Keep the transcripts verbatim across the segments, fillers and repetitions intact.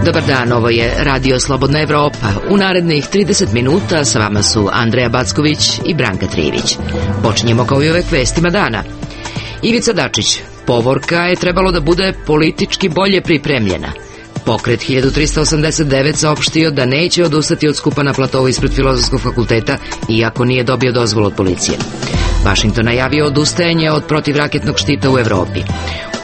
Dobar dan, ovo je Radio Slobodna Evropa. U narednih trideset minuta sa vama su Andreja Backović i Branka Trivić. Počinjemo kao i uvek vestima dana. Ivica Dačić, povorka je trebalo da bude politički bolje pripremljena. Pokret hiljadu trista osamdeset devet saopštio da neće odustati od skupa na platovu ispred Filozofskog fakulteta, iako nije dobio dozvolu od policije. Vašington najavio odustajanje od protivraketnog štita u Evropi.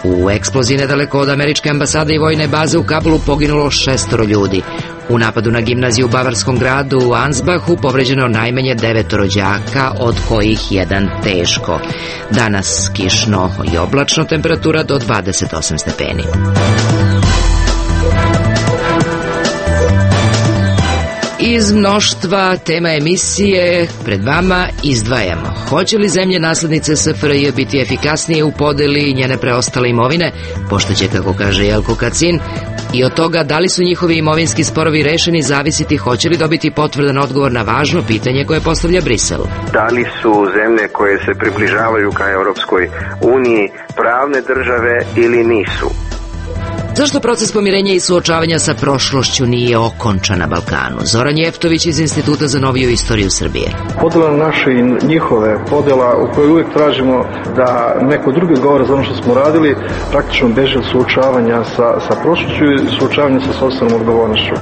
U eksploziji nedaleko od američke ambasade i vojne baze u Kabulu poginulo šestoro ljudi. U napadu na gimnaziju u bavarskom gradu u Ansbachu povređeno najmanje devetoro đaka, od kojih jedan teško. Danas kišno i oblačno, temperatura do dvadeset osam stepeni. Iz mnoštva tema emisije pred vama izdvajamo: hoće li zemlje naslednice S F R J biti efikasnije u podeli njene preostale imovine, pošto će, kako kaže Jelko Kacin, i od toga da li su njihovi imovinski sporovi rešeni zavisiti hoće li dobiti potvrdan odgovor na važno pitanje koje postavlja Brisel. Da li su zemlje koje se približavaju ka Europskoj uniji pravne države ili nisu? Zašto proces pomirenja i suočavanja sa prošlošću nije okončan na Balkanu? Zoran Jeftović iz Instituta za noviju istoriju Srbije. Podela naše i njihove, podela u kojoj uvijek tražimo da neko drugi govore za ono što smo radili, praktično beže od suočavanja sa, sa prošlošću i suočavanja sa sopstvenom odgovornošću.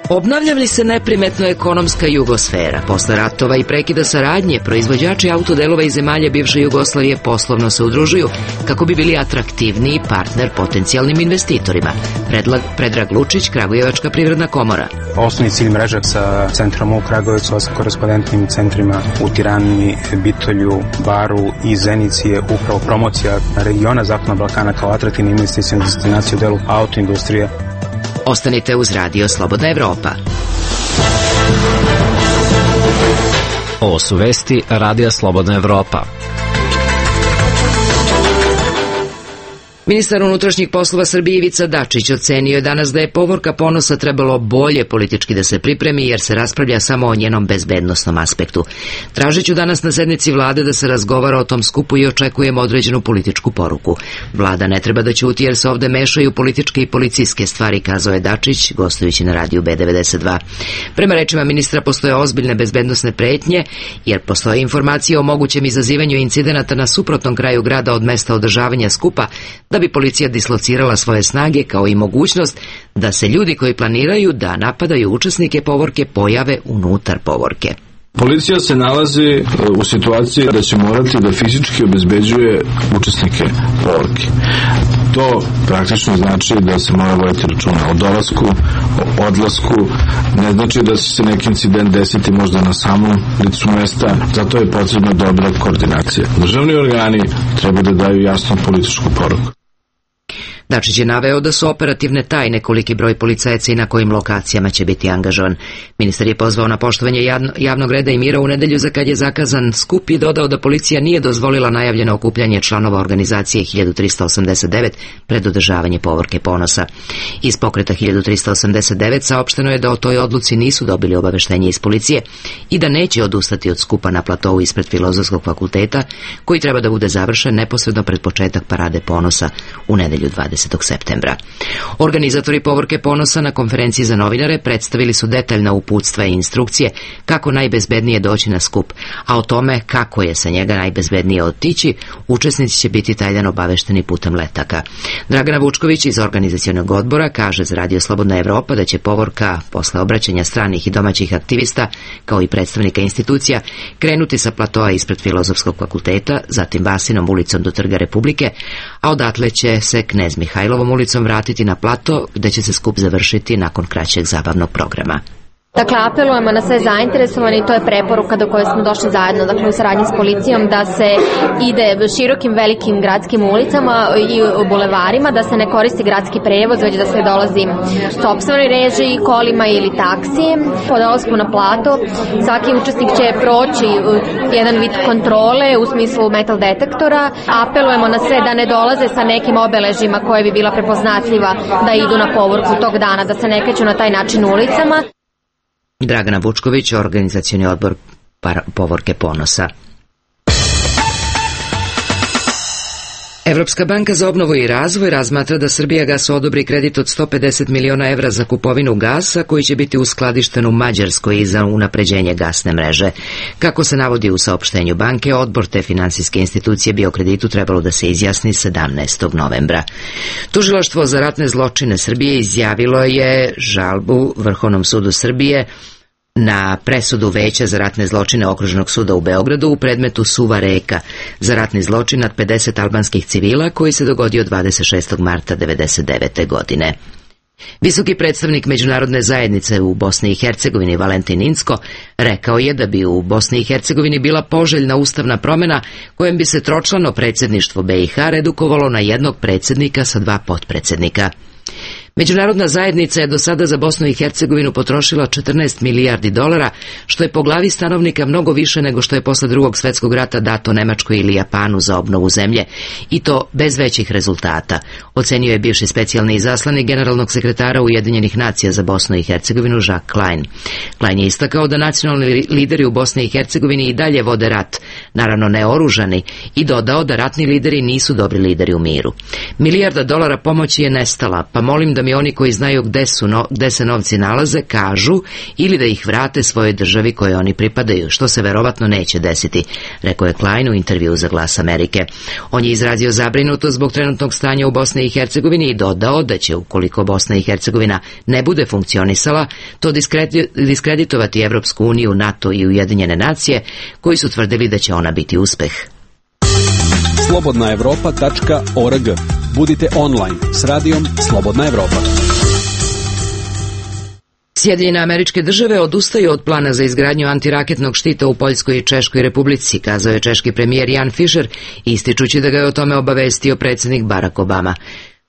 Obnavlja li se neprimetno ekonomska jugosfera? Posle ratova i prekida saradnje, proizvođači autodelova iz zemalja bivše Jugoslavije poslovno se udružuju kako bi bili atraktivniji partner potencijalnim investitorima. Predlag, Predrag Lučić, Kragujevačka privredna komora. Osnovni cilj mreža sa centrom u Kragujevcu, sa korespondentnim centrima u Tirani, Bitolju, Baru i Zenici je upravo promocija regiona Zapadnog Balkana kao atraktivne investicione destinacije u delu autoindustrije. Ostanite uz Radio Slobodna Evropa. Ovo su vesti Radija Slobodna Evropa. Ministar unutrašnjih poslova Srbije Ivica Dačić ocenio je danas da je povorka Ponosa trebalo bolje politički da se pripremi, jer se raspravlja samo o njenom bezbednosnom aspektu. Tražit ću danas na sednici vlade da se razgovara o tom skupu i očekujemo određenu političku poruku. Vlada ne treba da ćuti jer se ovde mešaju političke i policijske stvari, kazao je Dačić, gostujući na radiju B devedeset dva. Prema rečima ministra postoje ozbiljne bezbednosne pretnje, jer postoje informacije o mogućem izazivanju incidenata na suprotnom kraju grada od mesta održavanja skupa, da bi policija dislocirala svoje snage, kao i mogućnost da se ljudi koji planiraju da napadaju učesnike povorke pojave unutar povorke. Policija se nalazi u situaciji da će morati da fizički obezbeđuje učesnike povorke. To praktično znači da se mora voditi računa o dolasku, o odlasku, ne znači da će se neki incident desiti možda na samom licu mesta, zato je potrebna dobra koordinacija. Državni organi treba da daju jasnu političku poruku. Dačić je naveo da su operativne tajne koliki broj policajaca i na kojim lokacijama će biti angažovan. Ministar je pozvao na poštovanje javnog reda i mira u nedelju za kad je zakazan skup i dodao da policija nije dozvolila najavljeno okupljanje članova organizacije hiljadu trista osamdeset devet pred održavanje povorke Ponosa. Iz pokreta hiljadu trista osamdeset devet saopšteno je da o toj odluci nisu dobili obaveštenje iz policije i da neće odustati od skupa na platovu ispred Filozofskog fakulteta, koji treba da bude završen neposredno pred početak parade Ponosa u nedelju dvadesetog septembra. Organizatori povorke Ponosa na konferenciji za novinare predstavili su detaljna uputstva i instrukcije kako najbezbednije doći na skup, a o tome kako je sa njega najbezbednije otići, učesnici će biti taj dan obavešteni putem letaka. Dragana Vučković iz organizacionog odbora kaže za Radio Slobodna Evropa da će povorka posle obraćanja stranih i domaćih aktivista, kao i predstavnika institucija, krenuti sa platoa ispred Filozofskog fakulteta, zatim Vasinom ulicom do Trga Republike, a odatle će se Knez Mihajlovom ulicom vratiti na plato, gde će se skup završiti nakon kraćeg zabavnog programa. Dakle, apelujemo na sve zainteresovane i to je preporuka do koje smo došli zajedno, dakle u saradnji s policijom, da se ide širokim velikim gradskim ulicama i bulevarima, da se ne koristi gradski prevoz, već da se dolazi sopstvenoj režiji, kolima ili taksi. Po dolasku na plato svaki učesnik će proći jedan vid kontrole u smislu metal detektora. Apelujemo na sve da ne dolaze sa nekim obeležima koje bi bila prepoznatljiva da idu na povorku tog dana, da se ne kreću na taj način ulicama. Dragana Vučković, organizacioni odbor povorke Ponosa. Evropska banka za obnovu i razvoj razmatra da Srbijagasu odobri kredit od sto pedeset miliona evra za kupovinu gasa koji će biti uskladišten u Mađarskoj i za unapređenje gasne mreže. Kako se navodi u saopštenju banke, odbor te finansijske institucije bi o kreditu trebalo da se izjasni sedamnaestog novembra. Tužilaštvo za ratne zločine Srbije izjavilo je žalbu Vrhovnom sudu Srbije na presudu Veća za ratne zločine Okružnog suda u Beogradu u predmetu Suva Reka za ratni zločin nad pedeset albanskih civila koji se dogodio dvadeset šestog marta devedeset devete. godine. Visoki predstavnik međunarodne zajednice u Bosni i Hercegovini Valentin Incko rekao je da bi u Bosni i Hercegovini bila poželjna ustavna promjena kojem bi se tročlano predsjedništvo B i H redukovalo na jednog predsjednika sa dva potpredsjednika. Međunarodna zajednica je do sada za Bosnu i Hercegovinu potrošila četrnaest milijardi dolara, što je po glavi stanovnika mnogo više nego što je posle drugog svjetskog rata dato Nemačkoj ili Japanu za obnovu zemlje, i to bez većih rezultata, ocenio je bivši specijalni izaslanik generalnog sekretara Ujedinjenih nacija za Bosnu i Hercegovinu Jacques Klein. Klein je istakao da nacionalni lideri u Bosni i Hercegovini i dalje vode rat, naravno neoružani, i dodao da ratni lideri nisu dobri lideri u miru. Milijarda dolara pomoći je nestala, pa molim da mi oni koji znaju gde, su no, gde se novci nalaze kažu ili da ih vrate svojoj državi kojoj oni pripadaju, što se verovatno neće desiti, rekao je Klein u intervjuu za Glas Amerike. On je izrazio zabrinutost zbog trenutnog stanja u Bosni i Hercegovini i dodao da će, ukoliko Bosna i Hercegovina ne bude funkcionisala, to diskreditovati Evropsku uniju, NATO i Ujedinjene nacije, koji su tvrdili da će ona biti uspeh. slobodna evropa tačka org. Budite online s radijom Slobodna Evropa. Sjedinjene Američke Države odustaju od plana za izgradnju antiraketnog štita u Poljskoj i Češkoj Republici, kazao je češki premijer Jan Fischer, ističući da ga je o tome obavestio predsjednik Barack Obama.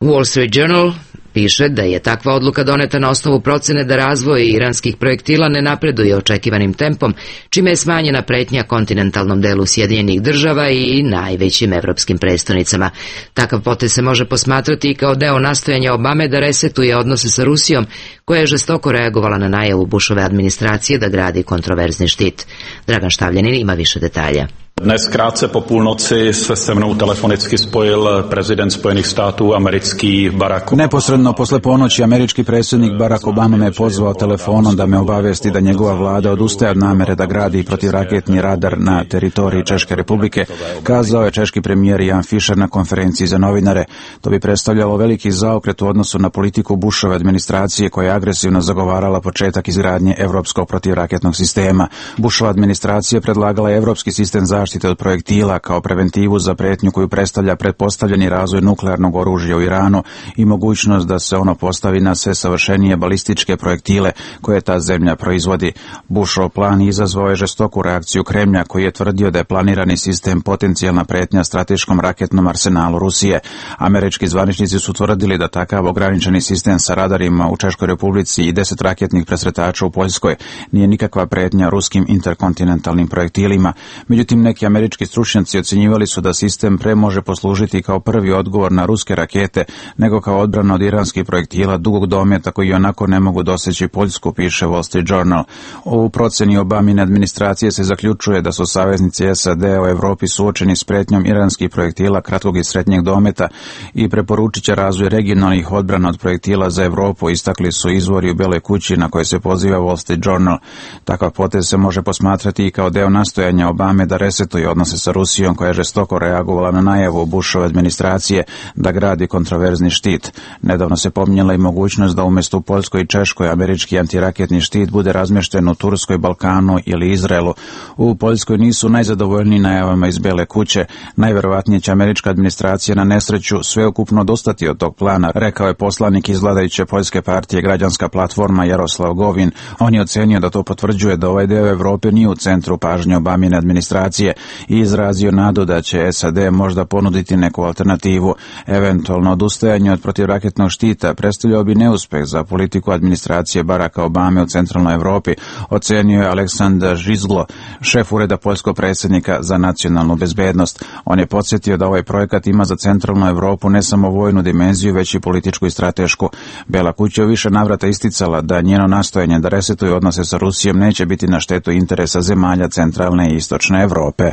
Wall Street Journal piše da je takva odluka doneta na osnovu procene da razvoj iranskih projektila ne napreduje očekivanim tempom, čime je smanjena pretnja kontinentalnom delu Sjedinjenih Država i najvećim evropskim prestonicama. Takav potez se može posmatrati i kao deo nastojanja Obame da resetuje odnose sa Rusijom, koja je žestoko reagovala na najavu Bushove administracije da gradi kontroverzni štit. Dragan Štavljanin ima više detalja. Dnes krátce po půlnoci se se mnou telefonicky spojil prezident Spojenih států americký Barack Obama. Neposredno posle ponoći američki predsjednik Barack Obama me pozvao telefonom da me obavijesti da njegova vlada odustaje od namere da gradi protivraketni radar na teritoriji Češke Republike, kazao je češki premijer Jan Fischer na konferenciji za novinare. To bi predstavljalo veliki zaokret u odnosu na politiku Bushove administracije koja je agresivno zagovarala početak izgradnje evropskog protivraketnog sistema. Bushova administracija predlagala je evropski sistem zaštite od projektila kao preventivu za pretnju koju predstavlja pretpostavljeni razvoj nuklearnog oružja u Iranu i mogućnost da se ono postavi na sve savršenije balističke projektile koje ta zemlja proizvodi. Bushov plan izazvao je žestoku reakciju Kremlja, koji je tvrdio da je planirani sistem potencijalna pretnja strateškom raketnom arsenalu Rusije. Američki zvaničnici su tvrdili da takav ograničeni sistem sa radarima u Češkoj Republici i deset raketnih presretača u Poljskoj nije nikakva pretnja ruskim interkontinentalnim projektilima. Međutim, neki američki stručnjaci ocjenjivali su da sistem pre može poslužiti kao prvi odgovor na ruske rakete, nego kao odbrana od iranskih projektila dugog dometa koji onako ne mogu doseći Poljsku, piše Wall Street Journal. U proceni Obamine administracije se zaključuje da su saveznici S A D u Evropi suočeni s pretnjom iranskih projektila kratkog i srednjeg dometa i preporučit će razvoj regionalnih odbrana od projektila za Evropu, istakli su izvori u Beloj kući na koje se poziva Wall Street Journal. Takav potez se može posmatrati i kao deo nastojanja Obame da resetuje odnose sa Rusijom, koja je žestoko reagovala na najavu Bushove administracije da gradi kontroverzni štit. Nedavno se pominjala i mogućnost da umjesto u Poljskoj i Češkoj američki antiraketni štit bude razmješten u Turskoj, Balkanu ili Izraelu. U Poljskoj nisu najzadovoljniji najavama iz Bele kuće. Najverovatnije će američka administracija na nesreću sveukupno odustati od tog plana, rekao je poslanik iz vladajuće poljske partije Građanska platforma Jaroslav Govin. On je ocenio da to potvrđuje da ovaj deo Evrope nije u centru pažnje Obamine administracije i izrazio nadu da će S A D možda ponuditi neku alternativu. Eventualno odustajanje od protivraketnog štita predstavljao bi neuspeh za politiku administracije Baracka Obame u centralnoj Evropi, ocenio je Aleksandar Žizglo, šef ureda poljskog predsjednika za nacionalnu bezbednost. On je podsjetio da ovaj projekat ima za centralnu Evropu ne samo vojnu dimenziju, već i političku i stratešku. Bela kuća je više navrata isticala da njeno nastojanje da resetuje odnose sa Rusijom neće biti na štetu interesa zemalja centralne i istočne Evrope.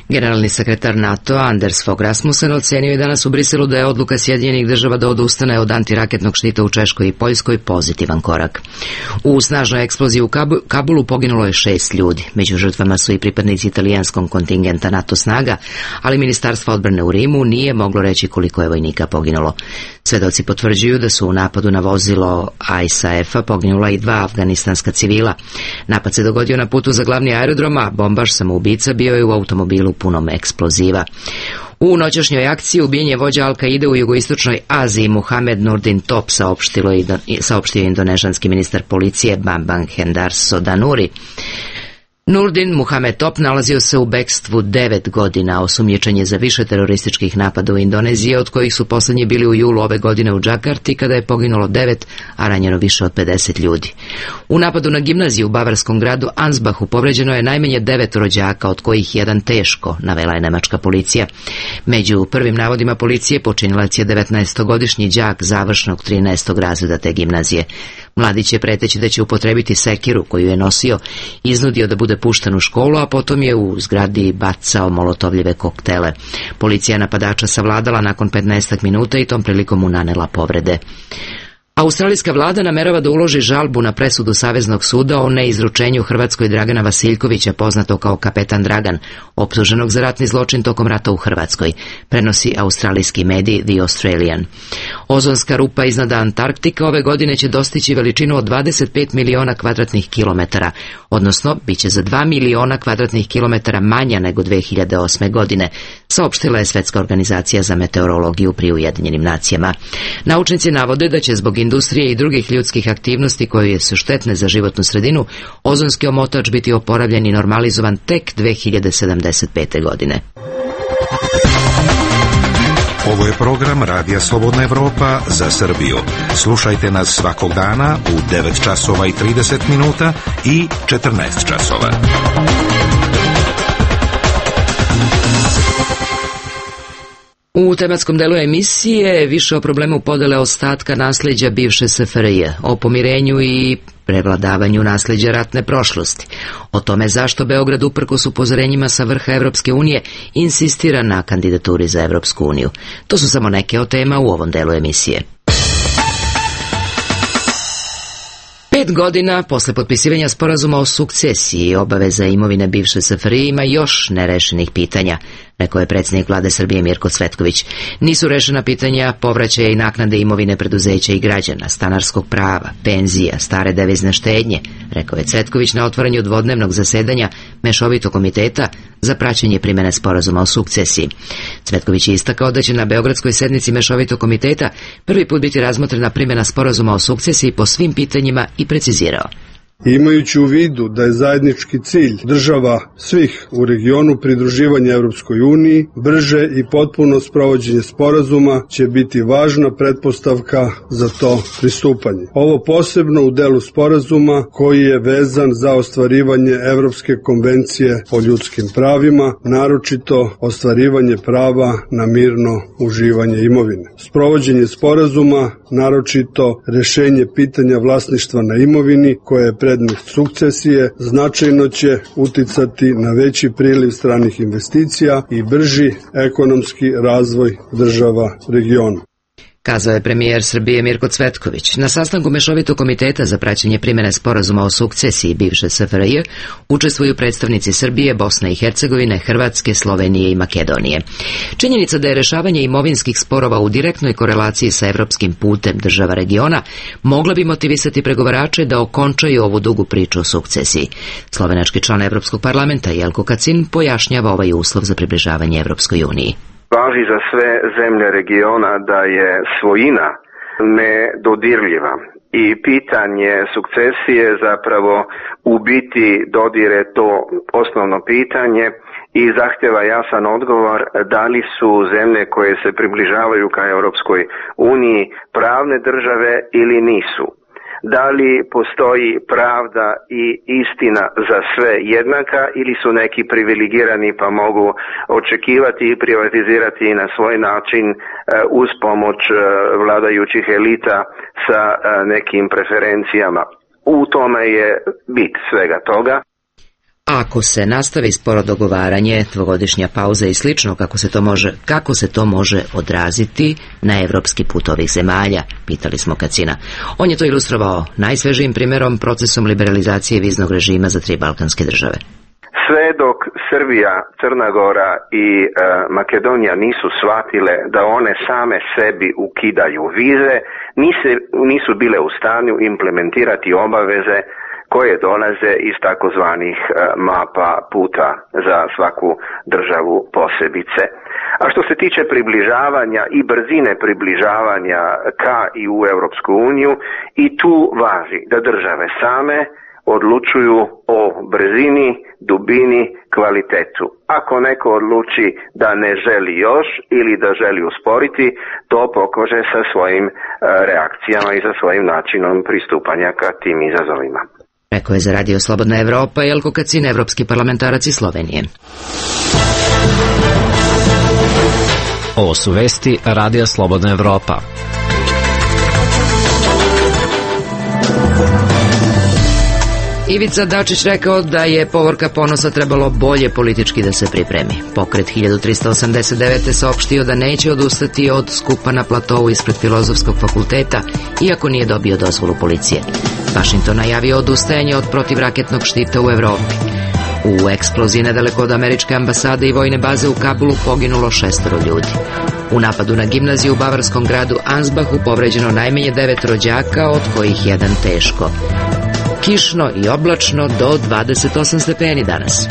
Generalni sekretar NATO-a Anders Fogh Rasmussen ocenio je danas u Briselu da je odluka Sjedinjenih država da odustane od antiraketnog štita u Češkoj i Poljskoj pozitivan korak. U snažnoj eksploziji u Kabulu poginulo je šest ljudi. Među žrtvama su i pripadnici italijanskog kontingenta NATO snaga, ali Ministarstvo odbrane u Rimu nije moglo reći koliko je vojnika poginulo. Svedoci potvrđuju da su u napadu na vozilo I S A F-a poginula i dva afganistanska civila. Napad se dogodio na putu za glavni aerodrom, a bombaš samoubica bio je u automobilu punom eksploziva. U noćašnjoj akciji ubijen je vođa Al-Kaide u jugoistočnoj Aziji Muhamed Nurdin Top, saopštio indonežanski ministar policije Bambang Hendarso Danuri. Nurdin Muhamed Top nalazio se u bekstvu devet godina, osumnjičen je za više terorističkih napada u Indoneziji, od kojih su posljednji bili u julu ove godine u Džakarti, kada je poginulo devet, a ranjeno više od pedeset ljudi. U napadu na gimnaziju u bavarskom gradu Ansbachu povređeno je najmanje devet rođaka, od kojih jedan teško, navela je nemačka policija. Među prvim navodima policije počinilac je devetnaestogodišnji đak završnog trinaestog razreda te gimnazije. Mladić je, preteći da će upotrebiti sekiru koju je nosio, iznudio da bude pušten u školu, a potom je u zgradi bacao molotovljive koktele. Policija napadača savladala nakon petnaestak minuta i tom prilikom mu nanela povrede. Australijska vlada namerava da uloži žalbu na presudu Saveznog suda o neizručenju Hrvatskoj Dragana Vasiljkovića, poznato kao Kapetan Dragan, optuženog za ratni zločin tokom rata u Hrvatskoj, prenosi australijski medij The Australian. Ozonska rupa iznad Antarktika ove godine će dostići veličinu od dvadeset pet miliona kvadratnih kilometara, odnosno bit će za dva miliona kvadratnih kilometara manja nego dve hiljade osme. godine, saopštila je Svetska organizacija za meteorologiju pri Ujedinjenim nacijama. Naučnici navode da će zbog industrije i drugih ljudskih aktivnosti koje su štetne za životnu sredinu, ozonski omotač biti oporavljen i normalizovan tek dve hiljade sedamdeset pete. godine. Ovo je program Radija Slobodna Evropa za Srbiju. Slušajte nas svakog dana u devet časova i trideset minuta i četrnaest časova. U tematskom delu emisije više o problemu podele ostatka nasleđa bivše S F R J, o pomirenju i prevladavanju nasleđa ratne prošlosti, o tome zašto Beograd uprkos upozorenjima sa vrha Evropske unije insistira na kandidaturi za Evropsku uniju. To su samo neke od tema u ovom delu emisije. Pet godina posle potpisivanja sporazuma o sukcesiji i obaveza imovine bivše S F R J ima još nerešenih pitanja, rekao je predsjednik vlade Srbije Mirko Cvetković. Nisu rešena pitanja povraćaja i naknade imovine preduzeća i građana, stanarskog prava, penzija, stare devizne štednje, rekao je Cvetković na otvaranju dvodnevnog zasedanja Mešovitog komiteta za praćenje primene sporazuma o sukcesiji. Cvetković je istakao da će na beogradskoj sednici Mešovitog komiteta prvi put biti razmotrena primjena sporazuma o sukcesiji po svim pitanjima i precizirao: Imajući u vidu da je zajednički cilj država svih u regionu pridruživanje Evropskoj uniji, brže i potpuno sprovođenje sporazuma će biti važna pretpostavka za to pristupanje. Ovo posebno u delu sporazuma koji je vezan za ostvarivanje Evropske konvencije o ljudskim pravima, naročito ostvarivanje prava na mirno uživanje imovine. Sprovođenje sporazuma, naročito rešenje pitanja vlasništva na imovini koje je predmet sukcesije, značajno će uticati na veći priliv stranih investicija i brži ekonomski razvoj država regiona, kazao je premijer Srbije Mirko Cvetković. Na sastanku Mešovitog komiteta za praćenje primjene sporazuma o sukcesiji bivše S F R J učestvuju predstavnici Srbije, Bosne i Hercegovine, Hrvatske, Slovenije i Makedonije. Činjenica da je rešavanje imovinskih sporova u direktnoj korelaciji sa evropskim putem država regiona mogla bi motivisati pregovarače da okončaju ovu dugu priču o sukcesiji. Slovenački član Evropskog parlamenta Jelko Kacin pojašnjava ovaj uslov za približavanje Evropskoj uniji. Važi za sve zemlje regiona da je svojina nedodirljiva i pitanje sukcesije zapravo u biti dodire to osnovno pitanje i zahtjeva jasan odgovor da li su zemlje koje se približavaju ka Europskoj uniji pravne države ili nisu. Da li postoji pravda i istina za sve jednaka ili su neki privilegirani pa mogu očekivati i privatizirati na svoj način uz pomoć vladajućih elita sa nekim preferencijama. U tome je bit svega toga. Ako se nastavi sporo dogovaranje, dvogodišnja pauza i slično, kako se to može, kako se to može odraziti na evropski put ovih zemalja, pitali smo Kacina. On je to ilustrovao najsvežijim primjerom, procesom liberalizacije viznog režima za tri balkanske države. Sve dok Srbija, Crna Gora i e, Makedonija nisu shvatile da one same sebi ukidaju vize, nise, nisu bile u stanju implementirati obaveze koje dolaze iz takozvanih e, mapa puta za svaku državu posebice. A što se tiče približavanja i brzine približavanja ka i u Europsku uniju, i tu važi da države same odlučuju o brzini, dubini, kvalitetu. Ako neko odluči da ne želi još ili da želi usporiti, to pokaže sa svojim e, reakcijama i sa svojim načinom pristupanja ka tim izazovima. Rekao je za Radio Slobodna Evropa Jelko Kacin, evropski parlamentarac iz Slovenije. Ovo su vesti Radija Slobodna Evropa. Ivica Dačić rekao da je povorka Ponosa trebalo bolje politički da se pripremi. Pokret hiljadu trista osamdeset devete saopštio da neće odustati od skupa na platovu ispred Filozofskog fakulteta, iako nije dobio dozvolu policije. Washington najavio odustajanje od protivraketnog štita u Evropi. U eksploziji nedaleko od američke ambasade i vojne baze u Kabulu poginulo šestoro ljudi. U napadu na gimnaziju u bavarskom gradu Ansbachu povređeno najmanje devet rođaka, od kojih jedan teško. Kišno i oblačno do dvadeset osam stepeni danas.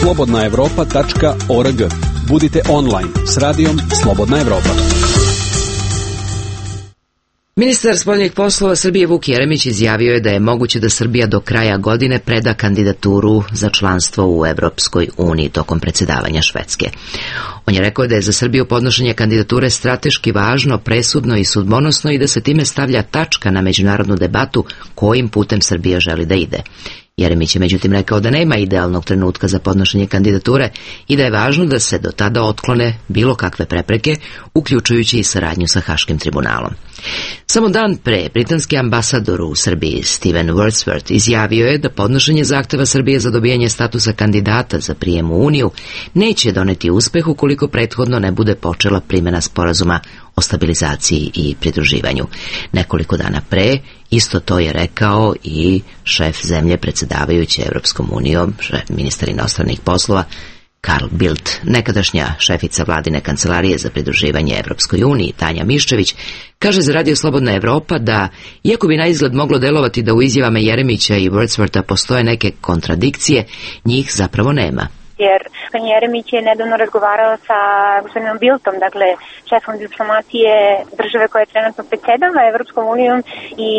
slobodna evropa tačka org. Budite online s radijom Slobodna Evropa. Ministar spoljnih poslova Srbije Vuk Jeremić izjavio je da je moguće da Srbija do kraja godine preda kandidaturu za članstvo u Evropskoj uniji tokom predsjedavanja Švedske. On je rekao da je za Srbiju podnošenje kandidature strateški važno, presudno i sudbonosno i da se time stavlja tačka na međunarodnu debatu kojim putem Srbija želi da ide. Jeremić je međutim rekao da nema idealnog trenutka za podnošenje kandidature i da je važno da se do tada otklone bilo kakve prepreke, uključujući i saradnju sa Haškim tribunalom. Samo dan pre, britanski ambasador u Srbiji Steven Wordsworth izjavio je da podnošenje zahteva Srbije za dobijanje statusa kandidata za prijem u Uniju neće doneti uspeh ukoliko prethodno ne bude počela primjena sporazuma o stabilizaciji i pridruživanju. Nekoliko dana pre, isto to je rekao i šef zemlje predsjedavajuće Evropskom unijom, ministar inostranih poslova Karl Bildt. Nekadašnja šefica vladine kancelarije za pridruživanje Evropskoj uniji, Tanja Miščević, kaže za Radio Slobodna Evropa da, iako bi na izgled moglo delovati da u izjavama Jeremića i Wordswortha postoje neke kontradikcije, njih zapravo nema. Jer gospodin Jeremić je nedavno razgovarao sa gospodinom Bildtom, dakle šefom diplomatije države koja je trenutno predsjedava Evropskom unijom, i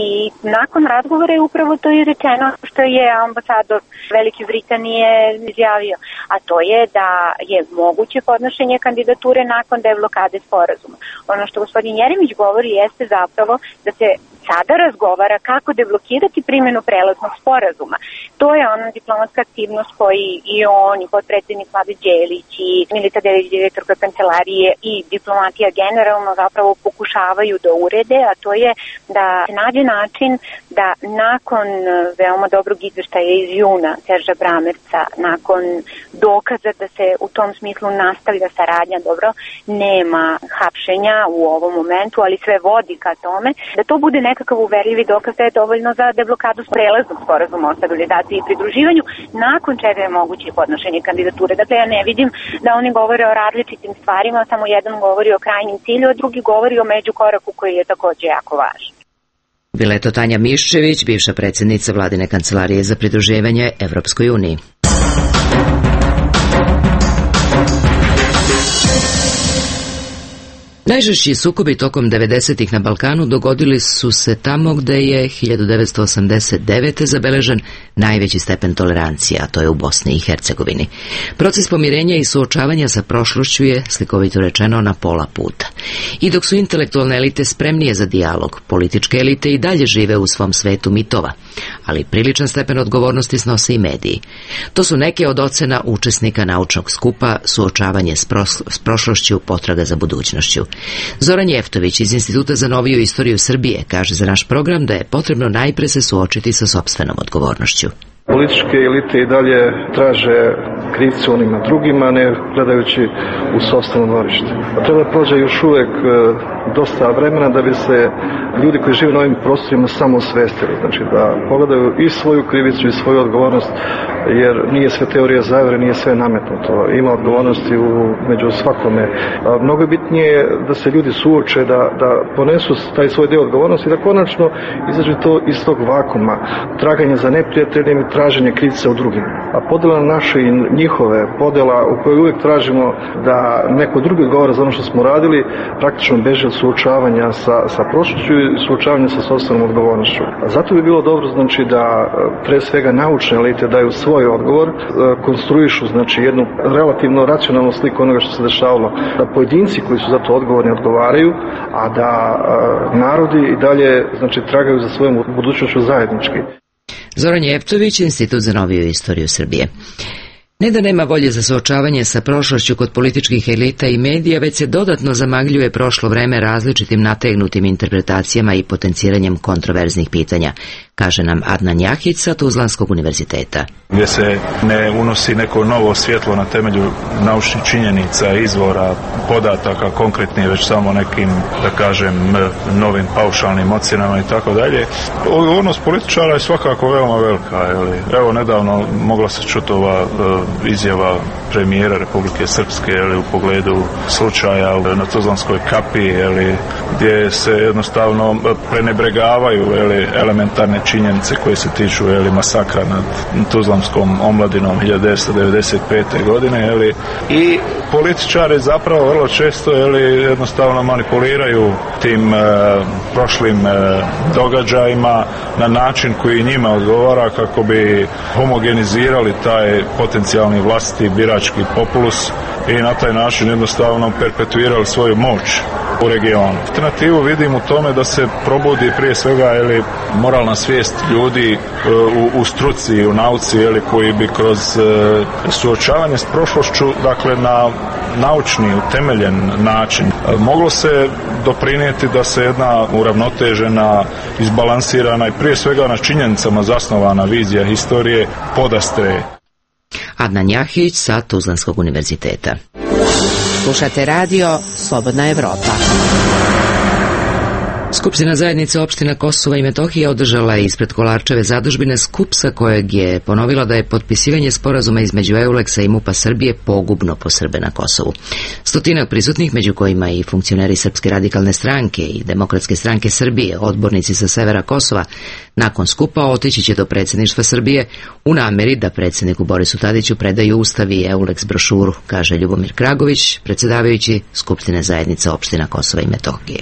nakon razgovora je upravo to i rečeno što je ambasador Velike Britanije izjavio, a to je da je moguće podnošenje kandidature nakon deblokade sporazuma. Ono što gospodin Jeremić govori jeste zapravo da se sada razgovara kako deblokirati primjenu prelaznog sporazuma. To je ona diplomatska aktivnost koji i on, i potpredsjednik Vlade Đelić, i Milica Delić, direktorka kancelarije, i diplomatija generalno zapravo pokušavaju da urede, a to je da se nađe način da nakon veoma dobrog izveštaja iz juna Serža Bramerca, nakon dokaza da se u tom smislu nastavlja saradnja, dobro, nema hapšenja u ovom momentu, ali sve vodi ka tome, da to bude nekakav uverljivi dokaz da je dovoljno za deblokadu prelaznog sporazuma o stabilizaciji i pridruživanju, nakon čega je moguće podnošenje kandidature. Dakle, ja ne vidim da oni govore o različitim stvarima, samo jedan govori o krajnjem cilju, a drugi govori o međukoraku koji je također jako važan. Bila je to Tanja Miščević, bivša predsjednica vladine kancelarije za pridruživanje Evropskoj uniji. Najžešći sukobi tokom devedesetih na Balkanu dogodili su se tamo gde je hiljadu devetsto osamdeset devete zabeležen najveći stepen tolerancije, a to je u Bosni i Hercegovini. Proces pomirenja i suočavanja sa prošlošću je, slikovito rečeno, na pola puta. I dok su intelektualne elite spremnije za dijalog, političke elite i dalje žive u svom svetu mitova, ali priličan stepen odgovornosti snose i mediji. To su neke od ocena učesnika naučnog skupa Suočavanje s, proslo- s prošlošću, potraga za budućnošću. Zoran Jeftović iz Instituta za noviju istoriju Srbije kaže za naš program da je potrebno najpre se suočiti sa sopstvenom odgovornošću. Političke elite i dalje traže krivce onima drugima, ne gledajući u sopstveno dvorište. Treba da prođe još uvek dosta vremena da bi se ljudi koji žive na ovim prostorima samo osvestili. Znači da pogledaju i svoju krivicu i svoju odgovornost, jer nije sve teorija zavere, nije sve nametnuto. Ima odgovornosti u, među svakome. A mnogo je bitnije da se ljudi suoče, da, da ponesu taj svoj deo odgovornosti i da konačno izađe to iz tog vakuma. Traganje za neprijateljem i traženje krivca u drugim. A podela naše i njihove, podela u kojoj uvijek tražimo da neko drugi odgovara za ono što smo radili, praktično beže od suočavanja sa, sa prošlošću i suočavanja sa sopstvenom odgovornošću. A zato bi bilo dobro, znači, da pre svega naučne elite daju svoj odgovor, konstruišu, znači, jednu relativno racionalnu sliku onoga što se dešavalo, da pojedinci koji su za to odgovorni odgovaraju, a da a, narodi i dalje, znači, tragaju za svojom budućnošću zajednički. Zoran Jevtović, Institut za noviju istoriju Srbije. Ne da nema volje za suočavanje sa prošlošću kod političkih elita i medija, već se dodatno zamagljuje prošlo vreme različitim nategnutim interpretacijama i potenciranjem kontroverznih pitanja, kaže nam Adnan Jahić sa Tuzlanskog univerziteta. Gdje se ne unosi neko novo svjetlo na temelju naučnih činjenica, izvora, podataka konkretnije, već samo nekim, da kažem, novim paušalnim ocjenama i tako dalje. Odgovornost političara je svakako veoma velika. Evo, nedavno mogla se čuti ova izjava premijera Republike Srpske ili u pogledu slučaja na Tuzlanskoj kapi, ili gdje se jednostavno prenebregavaju ili elementarne činjenice koje se tiču ili masakra nad Tuzlanskom omladinom hiljadu devetsto devedeset pete. godine, ili i političari zapravo vrlo često ili jednostavno manipuliraju tim e, prošlim e, događajima na način koji njima odgovara kako bi homogenizirali taj potencijalni vlastiti birački populus i na taj način jednostavno perpetuirali svoju moć u regionu. Alternativu vidim u tome da se probudi prije svega ili moralna svijest ljudi u, u struci, u nauci, ili koji bi kroz e, suočavanje s prošlošću, dakle na naučni, utemeljen način, e, moglo se doprinijeti da se jedna uravnotežena, izbalansirana i prije svega na činjenicama zasnovana vizija historije podastre. Adnan Jahić sa Tuzlanskog univerziteta. Slušate radio Slobodna Evropa. Skupština zajednice opština Kosova i Metohije održala je ispred Kolarčeve zadužbine skup sa kojeg je ponovila da je potpisivanje sporazuma između Euleksa i MUP-a Srbije pogubno po Srbe na Kosovu. Stotinak prisutnih, među kojima i funkcioneri Srpske radikalne stranke i Demokratske stranke Srbije, odbornici sa severa Kosova, nakon skupa otići će do predsjedništva Srbije u nameri da predsjedniku Borisu Tadiću predaju Ustav i Euleks brošuru, kaže Ljubomir Kragović, predsjedavajući Skupštine zajednice opština Kosova i Metohije.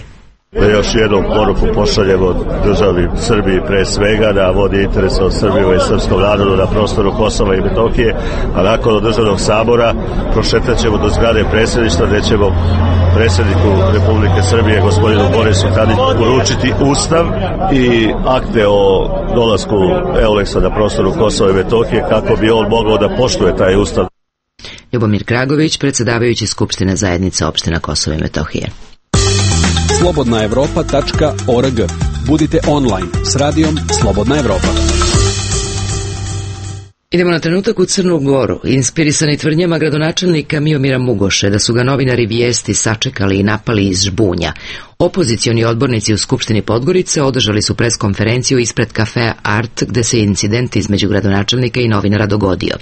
Da još jednom poruku pošaljemo državi Srbiji pre svega da vodi interes od Srbije i srpskom narodu na prostoru Kosova i Metohije, a nakon državnog sabora prošetat ćemo do zgrade predsjedništva gdje ćemo predsjedniku Republike Srbije gospodinu Borisu Tadiću uručiti Ustav i akte o dolasku Euleksa na prostoru Kosova i Metohije kako bi on mogao da poštuje taj Ustav. Ljubomir Kragović, predsjedavajući Skupštine zajednice opština Kosova i Metohije. slobodna evropa tačka org. Budite online s radijom Slobodna Evropa. Idemo na trenutak u Crnu Goru. Inspirisani tvrdnjama gradonačelnika Miomira Mugoše da su ga novinari Vijesti sačekali i napali iz žbunja, opozicioni odbornici u Skupštini Podgorice održali su preskonferenciju ispred kafea Art, gde se incident između gradonačelnika i novinara dogodio.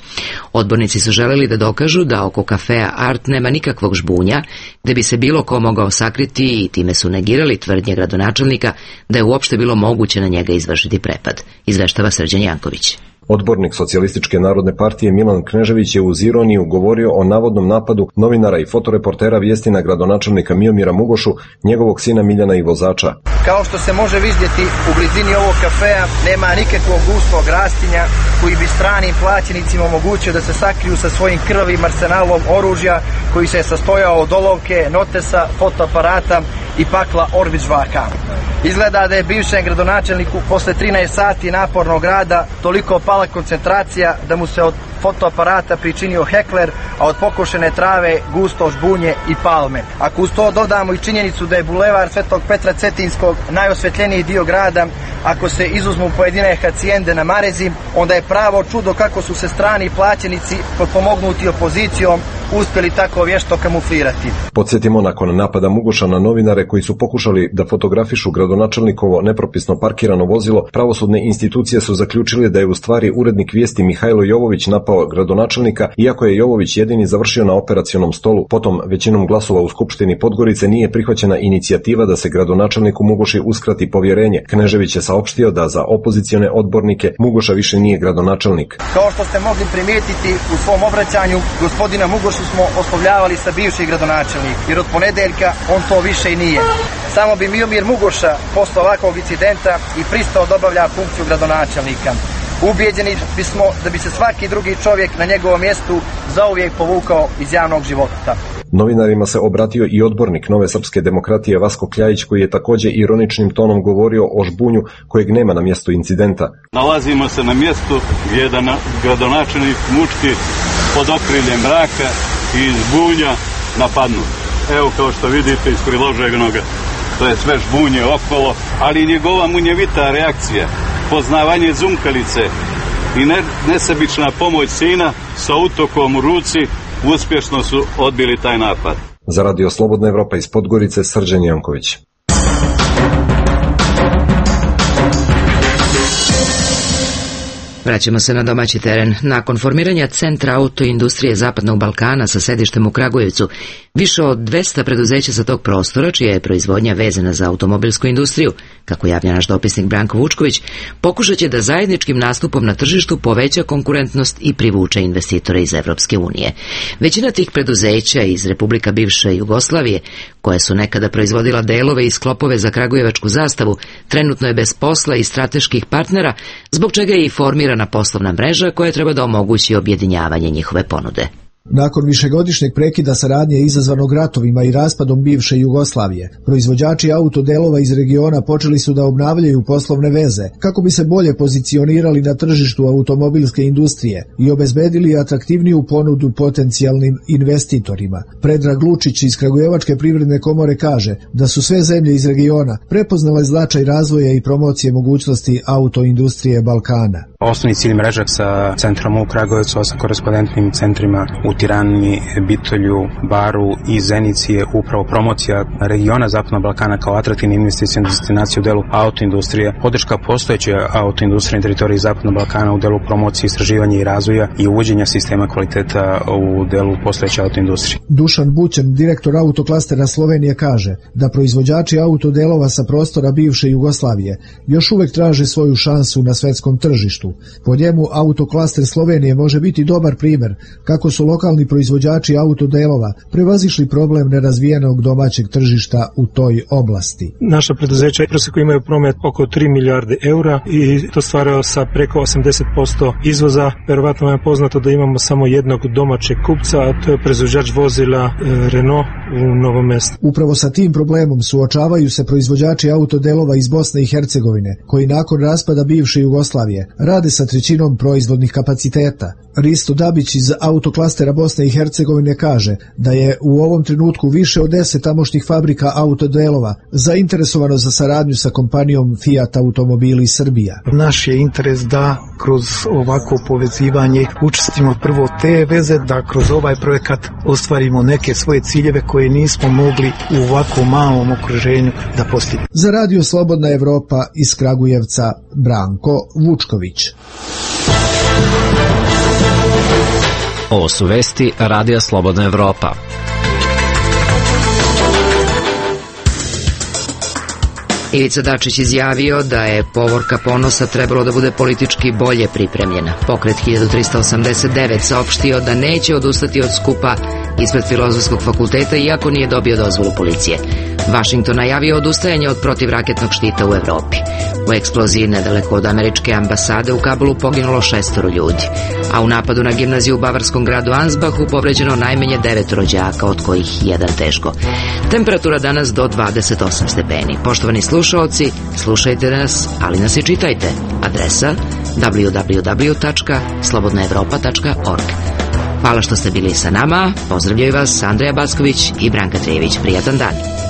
Odbornici su želeli da dokažu da oko kafea Art nema nikakvog žbunja, gde bi se bilo ko mogao sakriti, i time su negirali tvrdnje gradonačelnika da je uopšte bilo moguće na njega izvršiti prepad, izveštava Srđan Janković. Odbornik Socijalističke narodne partije Milan Knežević je uz ironiju govorio o navodnom napadu novinara i fotoreportera Vijesti na gradonačelnika Miomira Mugošu, njegovog sina Miljana i vozača. Kao što se može vidjeti, u blizini ovog kafea nema nikakvog gustog rastinja koji bi stranim plaćenicima omogućio da se sakriju sa svojim krvavim arsenalom oružja koji se je sastojao od olovke, notesa, fotoaparata i pakla Orvić-Vaka. Izgleda da je bivšem gradonačelniku posle trinaest sati napornog rada toliko pala koncentracija da mu se od fotoaparata pričinio hekler, a od pokošene trave gusto žbunje i palme. Ako uz to dodamo i činjenicu da je bulevar Svetog Petra Cetinskog najosvetljeniji dio grada, ako se izuzmu pojedine hacijende na Marezi, onda je pravo čudo kako su se strani plaćenici potpomognuti opozicijom uspjeli tako vješto kamuflirati. Podsjetimo, nakon napada Mugoša na novinare koji su pokušali da fotografišu gradonačelnikovo nepropisno parkirano vozilo, pravosudne institucije su zaključile da je u stvari urednik vijesti Mihajlo Jovović napao gradonačelnika, iako je Jovović jedini završio na operacionom stolu. Potom, većinom glasova u Skupštini Podgorice nije prihvaćena inicijativa da se gradonačelniku Mugoši uskrati povjerenje. Knežević je saopštio da za opozicione odbornike Mugoša više nije gradonačelnik. Kao što ste mogli primijetiti u svom obraćanju, gospodina Mugošu smo oslovljavali sa bivši gradonačelnik, jer od ponedeljka on to više i nije. Samo bi Miomir Mugoša posle ovakvog incidenta i pristao da obavlja funkciju gradonačelnika. Ubijeđeni bismo da bi se svaki drugi čovjek na njegovom mjestu zauvijek povukao iz javnog života. Novinarima se obratio i odbornik Nove srpske demokratije Vasko Kljajić, koji je također ironičnim tonom govorio o žbunju kojeg nema na mjestu incidenta. Nalazimo se na mjestu gdje je gradonačelnik mučki pod okriljem mraka i žbunja napadnut. Evo, kao što vidite iz priloženog, to je sve žbunje okolo, ali njegova munjevita reakcija, poznavanje zumkalice i ne, nesebična pomoć sina sa utokom u ruci uspješno su odbili taj napad. Za Radio Slobodna Evropa iz Podgorice, Srđan Janković. Vraćamo se na domaći teren. Nakon formiranja Centra autoindustrije Zapadnog Balkana sa sedištem u Kragujevcu, više od dvesta preduzeća sa tog prostora, čija je proizvodnja vezana za automobilsku industriju, kako javlja naš dopisnik Branko Vučković, pokušat će da zajedničkim nastupom na tržištu poveća konkurentnost i privuče investitore iz Evropske unije. Većina tih preduzeća iz Republika bivše Jugoslavije, koje su nekada proizvodila delove i sklopove za kragujevačku zastavu, trenutno je bez posla i strateških partnera, zbog čega je i formirana poslovna mreža koja treba da omogući objedinjavanje njihove ponude. Nakon višegodišnjeg prekida saradnje izazvanog ratovima i raspadom bivše Jugoslavije, proizvođači autodelova iz regiona počeli su da obnavljaju poslovne veze kako bi se bolje pozicionirali na tržištu automobilske industrije i obezbedili atraktivniju ponudu potencijalnim investitorima. Predrag Lučić iz Kragujevačke privredne komore kaže da su sve zemlje iz regiona prepoznale značaj razvoja i promocije mogućnosti autoindustrije Balkana. Osnovni cilj mreže sa centrom u Kragujevcu, sa korespondentnim centrima u Tirani, Bitolju, Baru i Zenici je upravo promocija regiona Zapadnog Balkana kao atraktivne investicione destinacije u delu autoindustrije, podrška postojeće autoindustrije na teritoriji Zapadnog Balkana u delu promocije, istraživanja i razvoja i uvođenja sistema kvaliteta u delu postojeće autoindustrije. Dušan Bućan, direktor autoklastera Slovenije, kaže da proizvođači autodelova sa prostora bivše Jugoslavije još uvek traže svoju šansu na svetskom tržištu. Po njemu autoklaster Slovenije može biti dobar primjer kako su lokalni proizvođači autodelova prevazišli problem nerazvijenog domaćeg tržišta u toj oblasti. Naša preduzeća prosjeku imaju promet oko tri milijarde eura i to stvaraju sa preko osamdeset posto izvoza. Verovatno vam je poznato da imamo samo jednog domaćeg kupca, a to je proizvođač vozila Renault u Novom Mestu. Upravo sa tim problemom suočavaju se proizvođači autodelova iz Bosne i Hercegovine, koji nakon raspada bivše Jugoslavije rade sa trećinom proizvodnih kapaciteta. Risto Dabić iz autoklastera Bosne i Hercegovine kaže da je u ovom trenutku više od deset tamošnjih fabrika autodelova zainteresovano za saradnju sa kompanijom Fiat Automobili Srbija. Naš je interes da kroz ovako povezivanje učestimo prvo te veze, da kroz ovaj projekat ostvarimo neke svoje ciljeve koje nismo mogli u ovako malom okruženju da postignemo. Za Radio Slobodna Evropa iz Kragujevca, Branko Vučković. Ovo su vesti Radija Slobodna Evropa. Ivica Dačić izjavio da je povorka Ponosa trebalo da bude politički bolje pripremljena. Pokret hiljadu trista osamdeset devet saopštio da neće odustati od skupa ispred Filozofskog fakulteta iako nije dobio dozvolu policije. Washington najavio odustajanje od protivraketnog štita u Evropi. U eksploziji nedaleko od američke ambasade u Kabulu poginulo šestoro ljudi, a u napadu na gimnaziju u bavarskom gradu Ansbachu povređeno najmanje devetoro đaka, od kojih jedan teško. Temperatura danas do dvadeset osam stepeni. Poštovani slušaoci, slušajte nas, ali nas i čitajte. Adresa w w w tačka slobodna evropa tačka org. Hvala što ste bili sa nama. Pozdravljaju vas Andreja Backović i Branka Trijević. Prijatan dan.